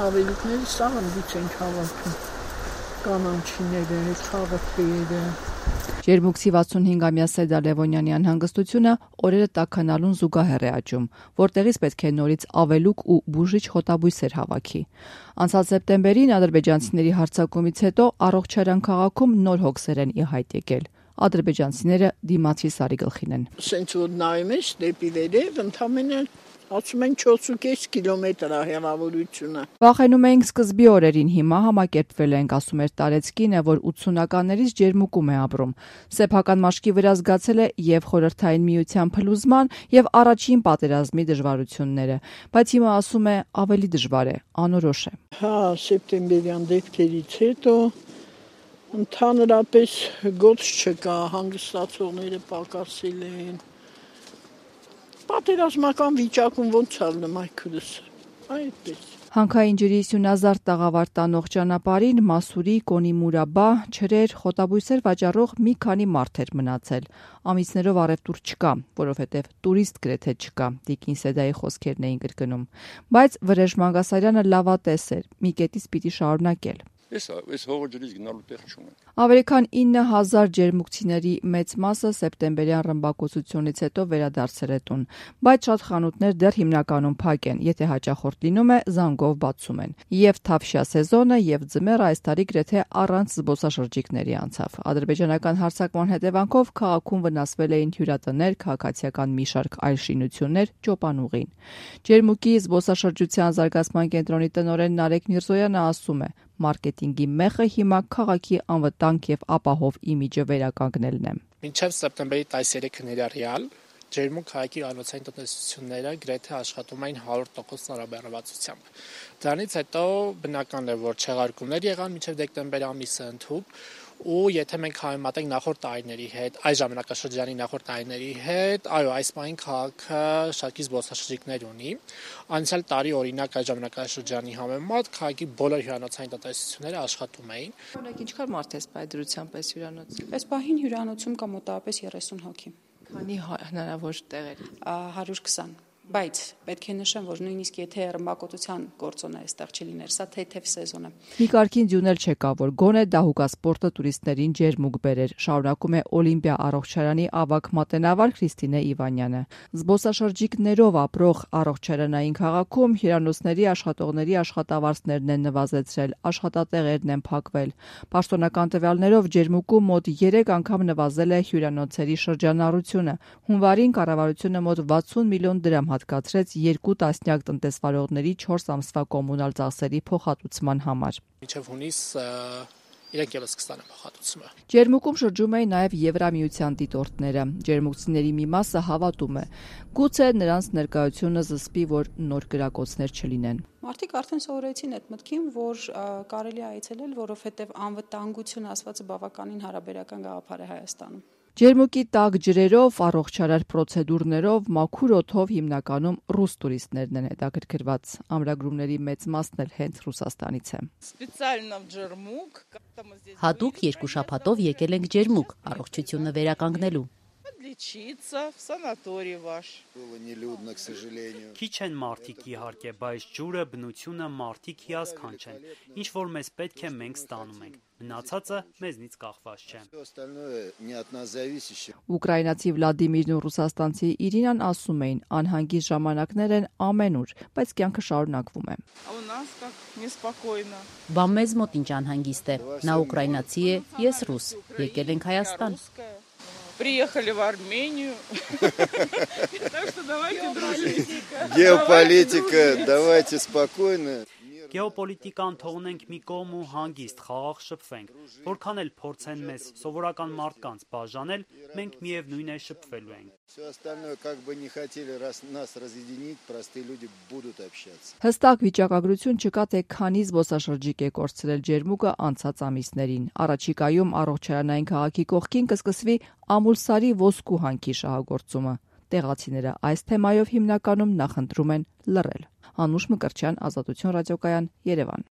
ավելիքները սաղնդից ենք հավաքում, կանանչիները, խաղաթեյերը։ Ջերմուկցի 65-ամյա Սեդա Լևոնյանի անհանգստությունը օրերը տաքանալուն զուգահեռ է աճում, որտեղից պետք է նորից ավելուկ ու բուժիչ խոտաբույսեր հավաքի։ Անցած սեպտեմբերին ադրբեջանցիների հարձակումից հետո առողջարան քաղաքում նոր հոգսեր են ի հայտ եկել։ Ադրբեջանցիները դիմացի սարի գլխին են։ Սենց որ նայում ես դեպի վերև, ընդամենը ասում են 4.5 կիլոմետր է հեռավորությունը։ Վախենում էինք սկզբի օրերին, հիմա համակերպվել ենք, ասում էր Տարեցկինը, որ 80-ականներից Ջերմուկում է ապրում։ Սեփական մաշկի վրա զգացել է եւ Խորհրդային Միության փլուզման եւ առաջին պատերազմի դժվարությունները, բայց հիմա ասում է ավելի դժվար է, անորոշ է։ Հա, սեպտեմբերյան դեպքերից հետո ընդհանրապես գործ չկա, հանգստացողները պակասել են։ Պատերազմական վիճակում ոնց ալնեմ այդքուրս, այդպես։ Հանքային ջրի սյունազարդ տաղավար տանող ճանապարհին Մասուրի, Կոնիմուրաբա, ջրեր, խոտաբույսեր վաճառող մի քանի մարդ էր մնացել։ Ամիսներով առևտուր չկա, որովհետև տուրիստ գրեթե չկա, Տիկին Սեդայի խոսքերն էին կրկնում։ Բայց Վրեժ Մանգասարյանը լավատես էր, մի կետից պիտի շարունակել։ Այս հողը ջրից գնալու տեղ չունեն։ Ավելի քան 9000 ջերմուկցիների մեծ մասը սեպտեմբերյան ռմբակոծությունից հետո վերադարձել է տուն, բայց շատ խանութներ դեռ հիմնականում փակ են, եթե հաճախորդ լինում է, զանգով բացում են։ Եվ թավշյա սեզոնը, եւ ձմեռը այս տարի գրեթե առանց զբոսաշրջիկների անցավ։ Ադրբեջանական հարձակման հետևանքով քաղաքում վնասվել էին հյուրատներ, քաղաքացիական մի շարք այլ շինություններ, ճոպանուղին։ Ջերմուկի զբոսաշրջության զարգացման կենտրոնի տնօրեն Նարեկ Միրզոյանը ասում է. Մարքեթինգի մեխը հիմա քաղաքի անվտանգ եւ ապահով իմիջը վերականգնելն է։ Մինչև սեպտեմբերի 13-ը ներառյալ Ջերմուկ քաղաքի անոցային տնտեսությունները գրեթե աշխատում էին 100% ծառաբեռնվածությամբ։ Դրանից հետո բնական է, որ չեղարկումներ եղան մինչև դեկտեմբեր ամիսը ընդհուպ, ու եթե մենք համեմատենք նախորդ տարիների հետ, այս ժամանակաշրջանի նախորդ տարիների հետ, այո, այս պահին քաղաքը շատ զբոսաշրջիկներ ունի։ Անցյալ տարի օրինակ այս ժամանակաշրջանի համեմատ քաղաքի բոլոր հյուրանոցային տնտեսությունները աշխատում էին։ Օրինակ ինչքան մարդ է սպայդրությամբ այս հյուրանոց։ Այս պահին հյուրանոցում կա մոտավորապես 30 հոգի։ Քանի հնարավոր տեղեր։ 120, բայց պետք է նշեմ, որ նույնիսկ եթե ռմբակոծության գործոնը այստեղ չլիներ, սա թեթև սեզոն է։ Մի կարգին ձյունել չկա, որ գոնե դահուկասպորտը տուրիստներին ջերմուկ բերեր, շարունակում է Օլիմպիա առողջարանի ավագ մատենավար Քրիստինե Իվանյանը։ Զբոսաշրջիկներով ապրող առողջարանային քաղաքում հյուրանոցների աշխատողների աշխատավարձներն են նվազեցրել, աշխատատեղերն են փակվել։ Պաշտոնական տվյալներով Ջերմուկում մոտ 3 անգամ նվազել է հյուրանոցերի շրջանառությունը։ Հունվարին կառավարությունը մոտ 60 միլիոն դրամ հատկացրեց 2 տասնյակ տնտեսվարողների 4 ամսվա կոմունալ ծախսերի փոխհատուցման համար։ Մինչև հունիս իրենք ևս կստանան փոխհատուցումը։ Ջերմուկում շրջում էին նաև Եվրամիության դիտորդները։ Ջերմուկցիների մի մասը հավատում է. գուցե նրանց ներկայությունը զսպի, որ նոր կրակոցներ չլինեն։ Մարդիկ արդեն սովորեցին այդ մտքին, որ կարելի է այցելել, որովհետև անվտանգություն ասվածը բավականին հարաբերական գաղափար է Հայաստանում։ Ջերմուկի տաք ջրերով, առողջարար պրոցեդուրներով, մաքուր օդով հիմնականում ռուս տուրիստներն են հետաքրքրված։ Ամրագրումների մեծ մասն էլ հենց Ռուսաստանից է։ Հատուկ 2 շաբաթով եկել ենք Ջերմուկ, առողջությունը վերականգնելու։ Քիչ են մարդիկ իհարկե, բայց ջուրը, բնությունը, մարդիկ հիասքանչ չեն։ Ինչ որ մեզ պետք է, մենք ստանում ենք։ Մնացածը մեզնից կախված չէ։ Ուկրաինացի Վլադիմիրն ու ռուսաստանցի Իրինան ասում էին, անհանգիստ ժամանակներ են ամենուր, բայց կյանքը շարունակվում է։ Բա մեզ մոտ ինչ անհանգիստ է։ Նա ուկրաինացի է, ես ռուս։ Եկել ենք Հայաստան։ Приехали в Армению. Так что давайте дружить. Геополитика, давайте спокойно. Գեոպոլիտիկան թողնենք մի կողմ ու հանգիստ խաղաղ շփվենք, որքան էլ փորձեն մեզ սովորական մարդկանց բաժանել, մենք միևնույն է շփվելու ենք։ Все остальное как бы не хотели нас разъединить, простые люди будут общаться. Հստակ վիճակագրություն չկա, թե քանի զբոսաշրջիկ է կորցրել Ջերմուկը անցած ամիսներին։ Առաջիկայում առողջարանային քաղաքի կողքին կսկսվի Ամուլսարի ոսկու հանքի շահագործումը։ Տեղացիները այս թեմայով հիմնականում նախընտրում են լռել։ Անուշ Մկրտչյան, Ազատություն ռադիոկայան, Երևան։